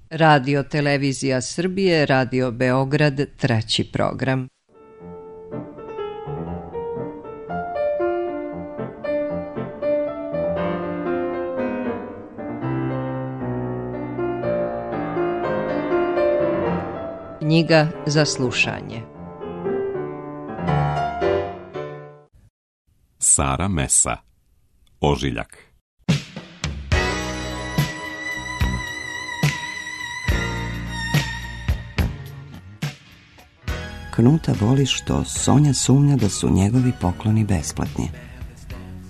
Radio Televizija Srbije, Radio Beograd, treći program. Knjiga za slušanje. Sara Mesa, Ožiljak. Knuta boli što Sonja sumnja da su njegovi pokloni besplatni.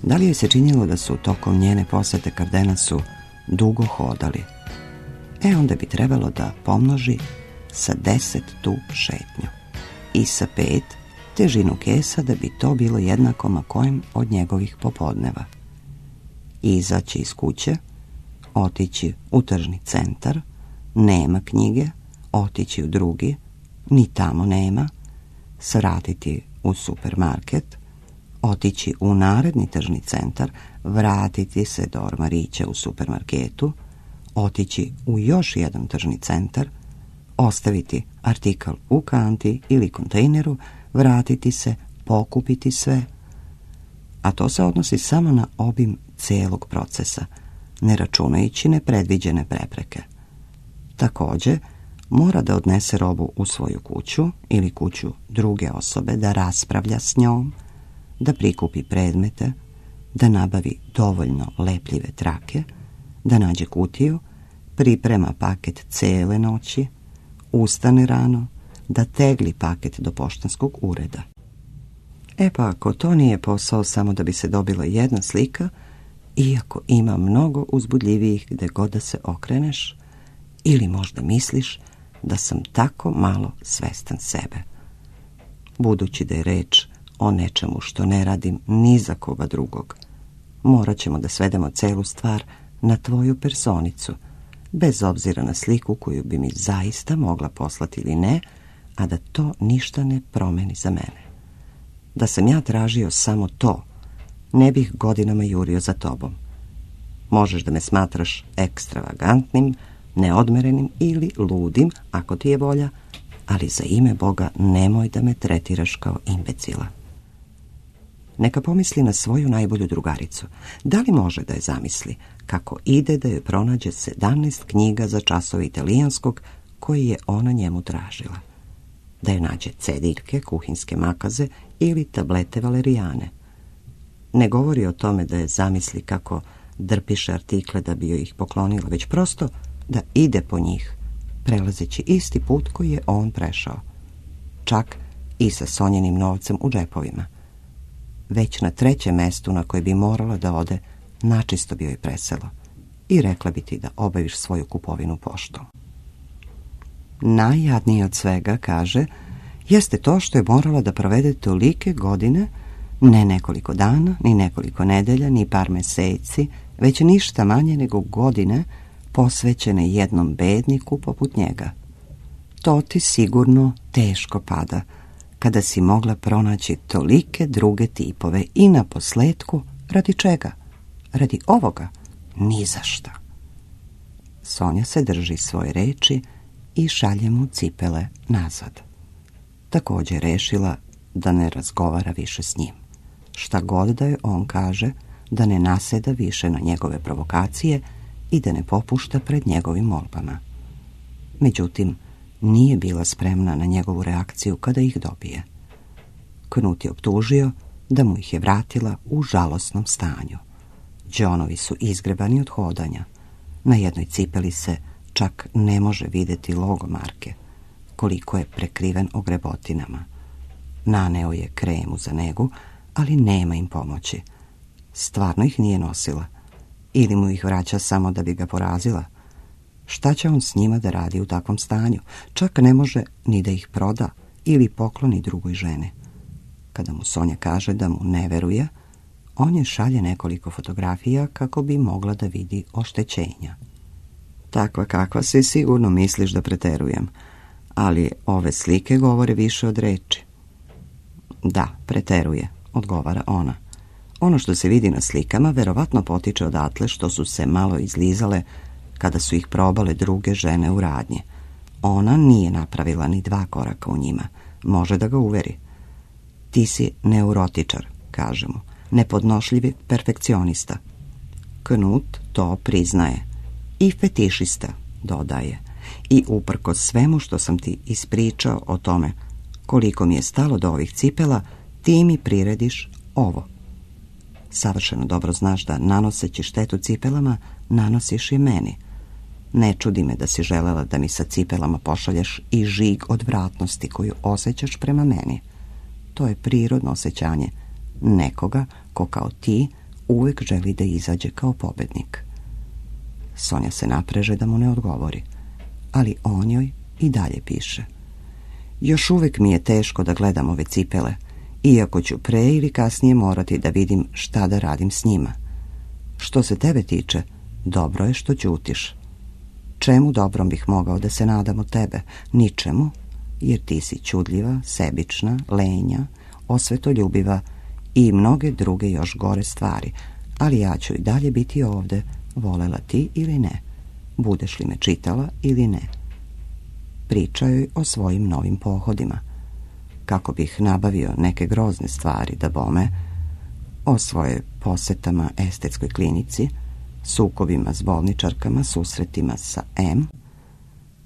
Da li joj se činilo da su tokom njene posete Kardenasu dugo hodali? Onda bi trebalo da pomnoži sa 10 tu šetnju i sa 5 težinu kesa, da bi to bilo jednako ma kojem od njegovih popodneva. Izaći iz kuće, otići u tržni centar, nema knjige, otići u drugi, ni tamo nema, svratiti u supermarket, otići u naredni tržni centar, vratiti se do ormarića u supermarketu, otići u još jedan tržni centar, ostaviti artikal u kanti ili kontejneru, vratiti se, pokupiti sve. A to se odnosi samo na obim celog procesa, ne računajući nepredviđene prepreke. Također, mora da odnese robu u svoju kuću ili kuću druge osobe, da raspravlja s njom, da prikupi predmete, da nabavi dovoljno lepljive trake, da nađe kutiju, priprema paket cele noći, ustane rano, da tegli paket do poštanskog ureda. Pa ako to nije posao samo da bi se dobila jedna slika, iako ima mnogo uzbudljivijih gde god da se okreneš, ili možda misliš da sam tako malo svestan sebe. Budući da je reč o nečemu što ne radim ni za koga drugog, morat ćemo da svedemo celu stvar na tvoju personicu, bez obzira na sliku koju bi mi zaista mogla poslati ili ne, a da to ništa ne promeni za mene. Da sam ja tražio samo to, ne bih godinama jurio za tobom. Možeš da me smatraš ekstravagantnim, neodmerenim ili ludim, ako ti je volja, ali za ime Boga nemoj da me tretiraš kao imbecila. Neka pomisli na svoju najbolju drugaricu. Da li može da je zamisli kako ide da joj pronađe 17 knjiga za časove italijanskog koji je ona njemu tražila? Da joj nađe cediljke, kuhinske makaze ili tablete valerijane? Ne govori o tome da je zamisli kako drpiše artikle da bi joj ih poklonila, već prosto da ide po njih, prelazeći isti put koji je on prešao, čak i sa Sonjenim novcem u džepovima. Već na 3. mestu na koje bi morala da ode, načisto bi joj preselo i rekla bi ti da obaviš svoju kupovinu poštom. Najjadnije od svega, kaže, jeste to što je morala da provede tolike godine, ne nekoliko dana, ni nekoliko nedelja, ni par meseci, već ništa manje nego godine posvećene jednom bedniku poput njega. To ti sigurno teško pada, kada si mogla pronaći tolike druge tipove i na posletku, radi čega? Radi ovoga? Ni za šta. Sonja se drži svoje reči i šalje mu cipele nazad. Također rešila da ne razgovara više s njim. Šta god da je on kaže, da ne naseda više na njegove provokacije i da ne popušta pred njegovim molbama. Međutim, nije bila spremna na njegovu reakciju kada ih dobije. Knut je optužio da mu ih je vratila u žalosnom stanju. Đonovi su izgrebani od hodanja. Na jednoj cipeli se čak ne može vidjeti logo marke, koliko je prekriven ogrebotinama. Naneo je kremu za negu, ali nema im pomoći. Stvarno ih nije nosila. Ili mu ih vraća samo da bi ga porazila. Šta će on s njima da radi u takvom stanju? Čak ne može ni da ih proda ili pokloni drugoj ženi. Kada mu Sonja kaže da mu ne veruje, on je šalje nekoliko fotografija kako bi mogla da vidi oštećenja. Takva kakva si, sigurno misliš da preterujem, ali ove slike govore više od reči. Da, preteruje, odgovara ona. Ono što se vidi na slikama verovatno potiče odatle što su se malo izlizale kada su ih probale druge žene u radnji. Ona nije napravila ni 2 koraka u njima. Može da ga uveri. Ti si neurotičar, kaže mu, nepodnošljivi perfekcionista. Knut to priznaje. I fetišista, dodaje. I uprkos svemu što sam ti ispričao o tome koliko mi je stalo do ovih cipela, ti mi prirediš ovo. Savršeno dobro znaš da nanoseći štetu cipelama, nanosiš i meni. Ne čudi me da si želela da mi sa cipelama pošalješ i žig odvratnosti koju osjećaš prema meni. To je prirodno osjećanje nekoga ko kao ti uvijek želi da izađe kao pobednik. Sonja se napreže da mu ne odgovori, ali on joj i dalje piše. Još uvijek mi je teško da gledam ove cipele, iako ću pre ili kasnije morati da vidim šta da radim s njima. Što se tebe tiče, dobro je što ćutiš. Čemu dobrom bih mogao da se nadam od tebe? Ničemu, jer ti si čudljiva, sebična, lenja, osvetoljubiva i mnoge druge još gore stvari, ali ja ću i dalje biti ovde, volela ti ili ne, budeš li me čitala ili ne. Priča joj o svojim novim pohodima, kako bih nabavio neke grozne stvari da bome, o svoje posetama estetskoj klinici, sukobima s bolničarkama, susretima sa M.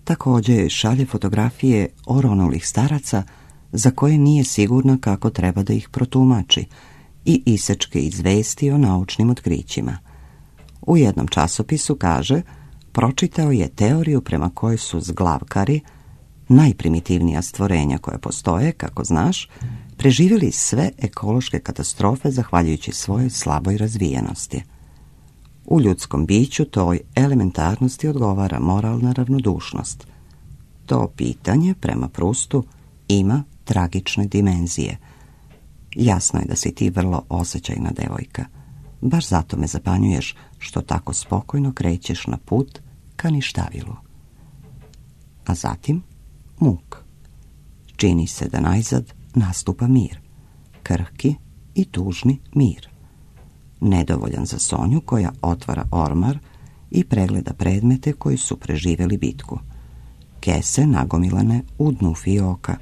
Također joj šalje fotografije oronulih staraca za koje nije sigurna kako treba da ih protumači i isečke izvesti o naučnim otkrićima. U jednom časopisu kaže, pročitao je teoriju prema kojoj su zglavkari, najprimitivnija stvorenja koja postoje, kako znaš, preživjeli sve ekološke katastrofe zahvaljujući svojoj slaboj razvijenosti. U ljudskom biću toj elementarnosti odgovara moralna ravnodušnost. To pitanje, prema Prustu, ima tragične dimenzije. Jasno je da si ti vrlo osjećajna devojka. Baš zato me zapanjuješ što tako spokojno krećeš na put ka ništavilu. A zatim muk. Čini se da najzad nastupa mir. Krhki i tužni mir. Nedovoljan za Sonju koja otvara ormar i pregleda predmete koji su preživjeli bitku. Kese nagomilane u dnu fioka.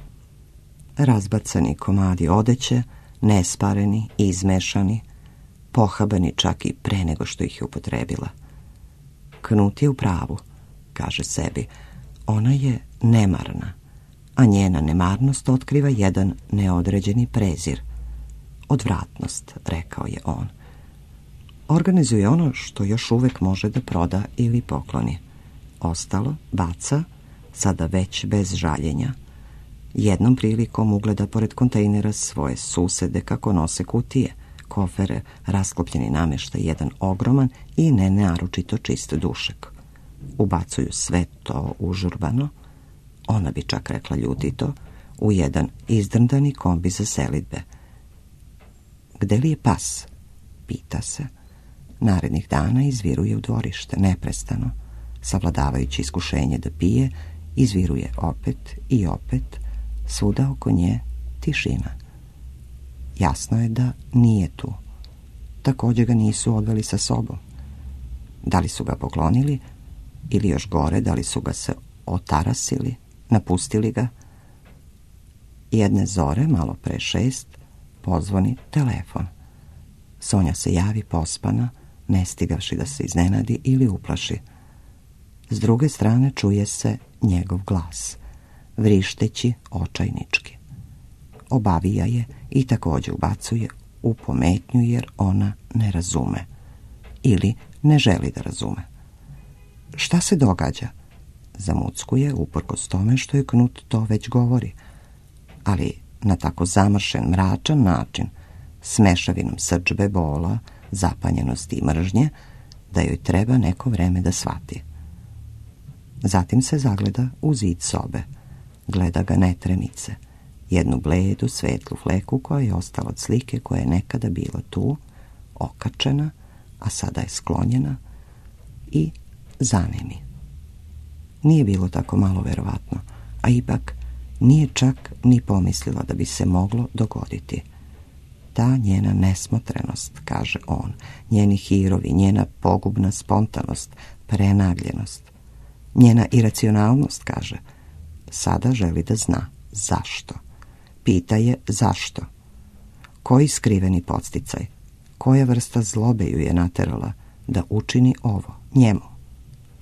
Razbacani komadi odeće, nespareni, izmešani, pohabani čak i pre nego što ih je upotrebila. Knut je u pravu, kaže sebi. Ona je nemarna, a njena nemarnost otkriva jedan neodređeni prezir. Odvratnost, rekao je on. Organizuje ono što još uvijek može da proda ili pokloni. Ostalo baca, sada već bez žaljenja. Jednom prilikom ugleda pored kontejnera svoje susede kako nose kutije, kofere, rasklopljeni namještaj, jedan ogroman i nenaročito čist dušek. Ubacuju sve to užurbano, ona bi čak rekla ljutito, u jedan izdrndani kombi za selidbe. Gde li je pas? Pita se. Narednih dana izviruje u dvorište, neprestano, savladavajući iskušenje da pije, izviruje opet i opet, svuda oko nje tišina. Jasno je da nije tu. Također ga nisu odveli sa sobom. Da li su ga poklonili, ili još gore, da li su ga se otarasili, napustili ga? Jedne zore, malo pre 6, pozvoni telefon. Sonja se javi pospana, ne stigavši da se iznenadi ili uplaši. S druge strane čuje se njegov glas, vrišteći očajnički. Obavija je i također ubacuje u pometnju jer ona ne razume. Ili ne želi da razume. Šta se događa? Zamuckuje uprkos tome što je Knut to već govori, ali na tako zamršen, mračan način, s mešavinom srdžbe, bola, zapanjenosti i mržnje, da joj treba neko vreme da shvati. Zatim se zagleda u zid sobe. Gleda ga netremice. Jednu bledu, svetlu fleku koja je ostala od slike koja je nekada bila tu, okačena, a sada je sklonjena i zanemi. Nije bilo tako malo verovatno, a ipak nije čak ni pomislila da bi se moglo dogoditi. Ta njena nesmotrenost, kaže on, njeni hirovi, njena pogubna spontanost, prenagljenost. Njena iracionalnost kaže, sada želi da zna zašto. Pita je zašto. Koji skriveni podsticaj, koja vrsta zlobe ju je naterala da učini ovo njemu.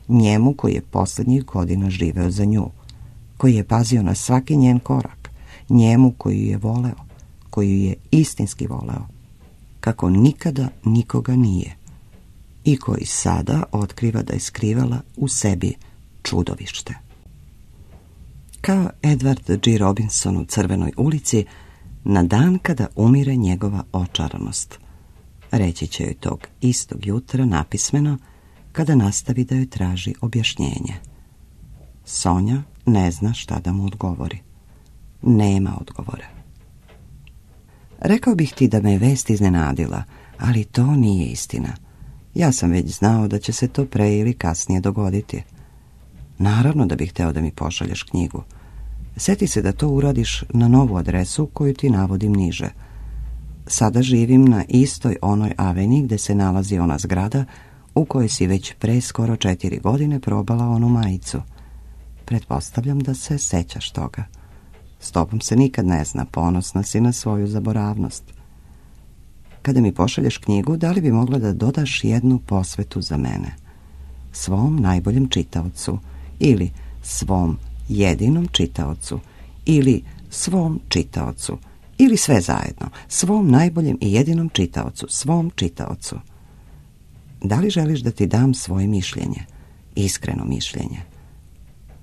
Njemu koji je posljednjih godina živeo za nju, koji je pazio na svaki njen korak, njemu koji ju je voleo, koji ju je istinski voleo, kako nikada nikoga nije, i koji sada otkriva da je skrivala u sebi čudovište. Kao Edward G. Robinson u Crvenoj ulici, na dan kada umire njegova očaranost. Reći će joj tog istog jutra napismeno, kada nastavi da joj traži objašnjenje. Sonja ne zna šta da mu odgovori. Nema odgovora. Rekao bih ti da me je vest iznenadila, ali to nije istina. Ja sam već znao da će se to pre ili kasnije dogoditi. Naravno da bih hteo da mi pošalješ knjigu. Sjeti se da to uradiš na novu adresu koju ti navodim niže. Sada živim na istoj onoj aveni gde se nalazi ona zgrada u kojoj si već pre skoro 4 godine probala onu majicu. Pretpostavljam da se sećaš toga. S tobom se nikad ne zna, ponosna si na svoju zaboravnost. Kada mi pošalješ knjigu, da li bi mogla da dodaš jednu posvetu za mene? Svom najboljem čitaocu, ili svom jedinom čitaocu, ili svom čitaocu, ili sve zajedno, svom najboljem i jedinom čitaocu, svom čitaocu. Da li želiš da ti dam svoje mišljenje, iskreno mišljenje?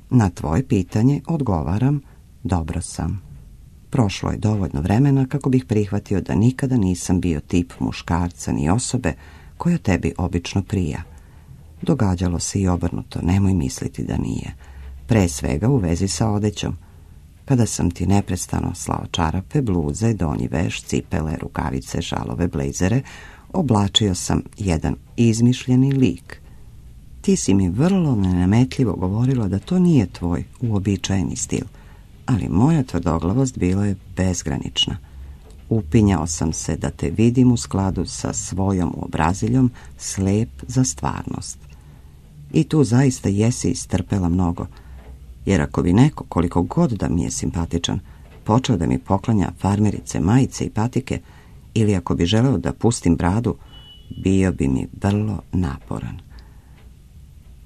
Na tvoje pitanje odgovaram, dobro sam. Prošlo je dovoljno vremena kako bih prihvatio da nikada nisam bio tip muškarca ni osobe koja tebi obično prija. Događalo se i obrnuto, nemoj misliti da nije. Pre svega u vezi sa odećom. Kada sam ti neprestano slao čarape, bluze, donji veš, cipele, rukavice, šalove, blejzere, oblačio sam jedan izmišljeni lik. Ti si mi vrlo nenametljivo govorila da to nije tvoj uobičajeni stil, ali moja tvrdoglavost bila je bezgranična. Upinjao sam se da te vidim u skladu sa svojom uobraziljom, slep za stvarnost. I tu zaista jesi istrpela mnogo, jer ako bi neko, koliko god da mi je simpatičan, počeo da mi poklanja farmerice, majice i patike, ili ako bi želeo da pustim bradu, bio bi mi vrlo naporan.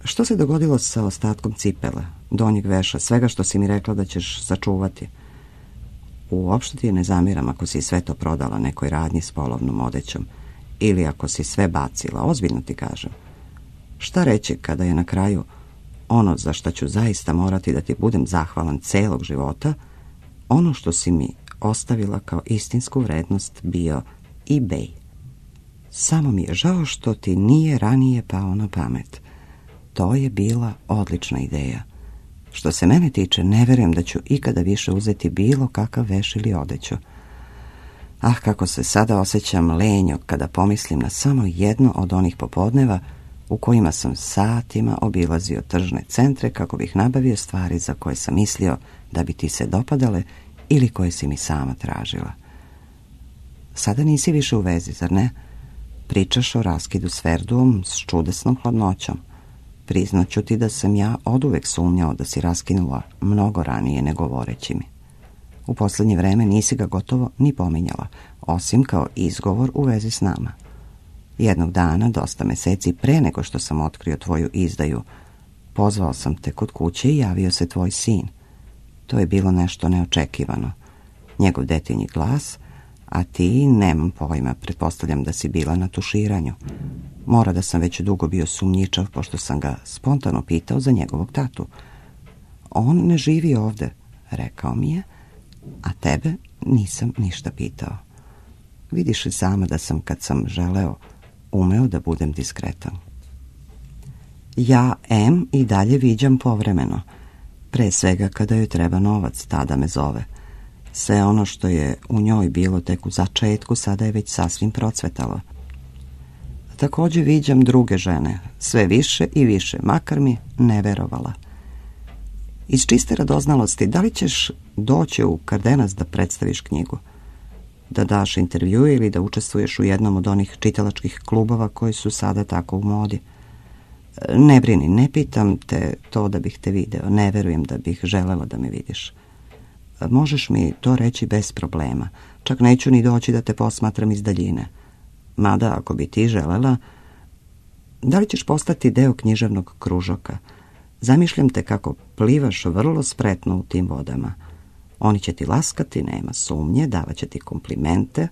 Što se dogodilo sa ostatkom cipela, donjeg veša, svega što si mi rekla da ćeš sačuvati? Uopšte ti ne zamiram ako si sve to prodala nekoj radnji s polovnom odećom, ili ako si sve bacila, ozbiljno ti kažem. Šta reći kada je na kraju ono za što ću zaista morati da ti budem zahvalan celog života, ono što si mi ostavila kao istinsku vrednost bio eBay. Samo mi je žao što ti nije ranije pao na pamet. To je bila odlična ideja. Što se mene tiče, ne verujem da ću ikada više uzeti bilo kakav veš ili odeću. Ah, kako se sada osjećam lenjo kada pomislim na samo jedno od onih popodneva u kojima sam satima obilazio tržne centre kako bih nabavio stvari za koje sam mislio da bi ti se dopadale ili koje si mi sama tražila. Sada nisi više u vezi, zar ne? Pričaš o raskidu s Verduom s čudesnom hladnoćom. Priznaću ti da sam ja oduvek sumnjao da si raskinula mnogo ranije nego govoreći mi. U posljednje vreme nisi ga gotovo ni pominjala, osim kao izgovor u vezi s nama. Jednog dana, dosta meseci pre nego što sam otkrio tvoju izdaju, pozvao sam te kod kuće i javio se tvoj sin. To je bilo nešto neočekivano. Njegov detinji glas, a ti, nemam pojma, pretpostavljam da si bila na tuširanju. Mora da sam već dugo bio sumnjičav, pošto sam ga spontano pitao za njegovog tatu. On ne živi ovde, rekao mi je, a tebe nisam ništa pitao. Vidiš li sama da sam, kad sam želeo, umeo da budem diskretan. Ja i dalje viđam povremeno, pre svega kada joj treba novac, tada me zove. Sve ono što je u njoj bilo tek u začetku sada je već sasvim procvetalo. Također viđam druge žene, sve više i više, makar mi ne verovala. Iz čiste radoznalosti, da li ćeš doći u Kardenas da predstaviš knjigu? Da daš intervju ili da učestvuješ u jednom od onih čitalačkih klubova koji su sada tako u modi? Ne brini, ne pitam te to da bih te video, ne verujem da bih želela da me vidiš. Možeš mi to reći bez problema, čak neću ni doći da te posmatram iz daljine. Mada, ako bi ti želela, da li ćeš postati deo književnog kružoka? Zamišljam te kako plivaš vrlo spretno u tim vodama. Oni će ti laskati, nema sumnje, davat će ti komplimente.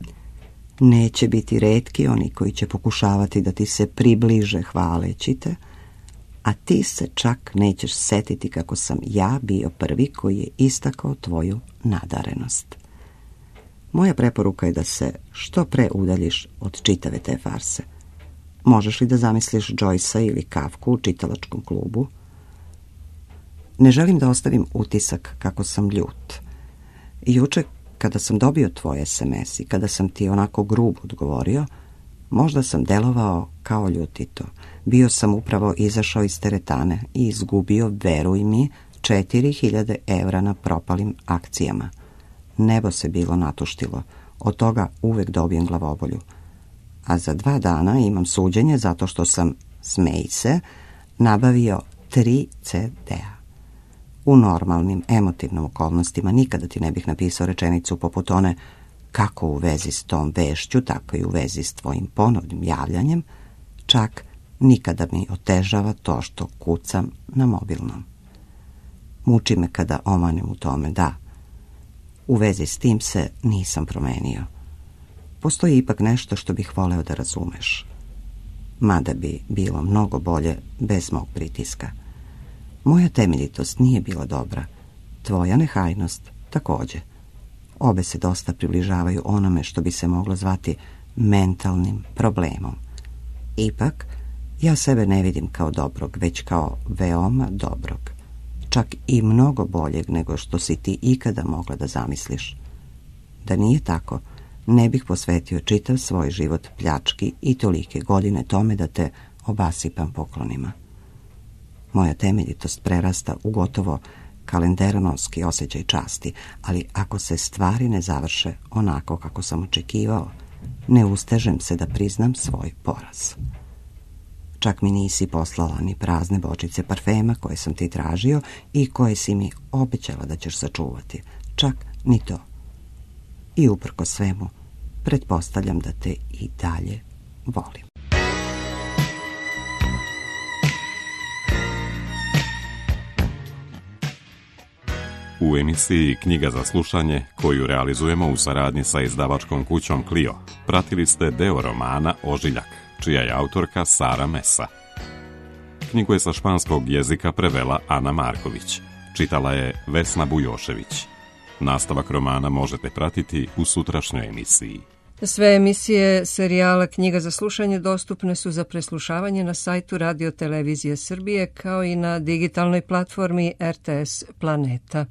Neće biti retki oni koji će pokušavati da ti se približe hvaleći te, a ti se čak nećeš setiti kako sam ja bio prvi koji je istakao tvoju nadarenost. Moja preporuka je da se što pre udaljiš od čitave te farse. Možeš li da zamisliš Joycea ili Kafku u čitalačkom klubu? Ne želim da ostavim utisak kako sam ljut. Juče, kada sam dobio tvoj SMS i kada sam ti onako grubo odgovorio, možda sam delovao kao ljutito. Bio sam upravo izašao iz teretane i izgubio, veruj mi, 4000 evra na propalim akcijama. Nebo se bilo natuštilo, od toga uvek dobijem glavobolju. A za 2 dana imam suđenje zato što sam, smej se, nabavio 3 CD-a. U normalnim, emotivnim okolnostima nikada ti ne bih napisao rečenicu poput one kako u vezi s tom vešću, tako i u vezi s tvojim ponovnim javljanjem, čak nikada mi otežava to što kucam na mobilnom. Muči me kada omanem u tome, da. U vezi s tim se nisam promenio. Postoji ipak nešto što bih voleo da razumeš. Mada bi bilo mnogo bolje bez mog pritiska. Moja temeljitost nije bila dobra. Tvoja nehajnost također. Obe se dosta približavaju onome što bi se moglo zvati mentalnim problemom. Ipak, ja sebe ne vidim kao dobrog, već kao veoma dobrog. Čak i mnogo boljeg nego što si ti ikada mogla da zamisliš. Da nije tako, ne bih posvetio čitav svoj život pljački i tolike godine tome da te obasipam poklonima. Moja temeljitost prerasta u gotovo kalenderonovski osjećaj časti, ali ako se stvari ne završe onako kako sam očekivao, ne ustežem se da priznam svoj poraz. Čak mi nisi poslala ni prazne bočice parfema koje sam ti tražio i koje si mi obećala da ćeš sačuvati. Čak ni to. I uprko svemu, pretpostavljam da te i dalje volim. U emisiji Knjiga za slušanje, koju realizujemo u saradnji sa izdavačkom kućom Clio, pratili ste deo romana Ožiljak, čija je autorka Sara Mesa. Knjigu je sa španskog jezika prevela Ana Marković, čitala je Vesna Bujošević. Nastavak romana možete pratiti u sutrašnjoj emisiji. Sve emisije serijala Knjiga za slušanje dostupne su za preslušavanje na sajtu Radio Televizije Srbije kao i na digitalnoj platformi RTS Planeta.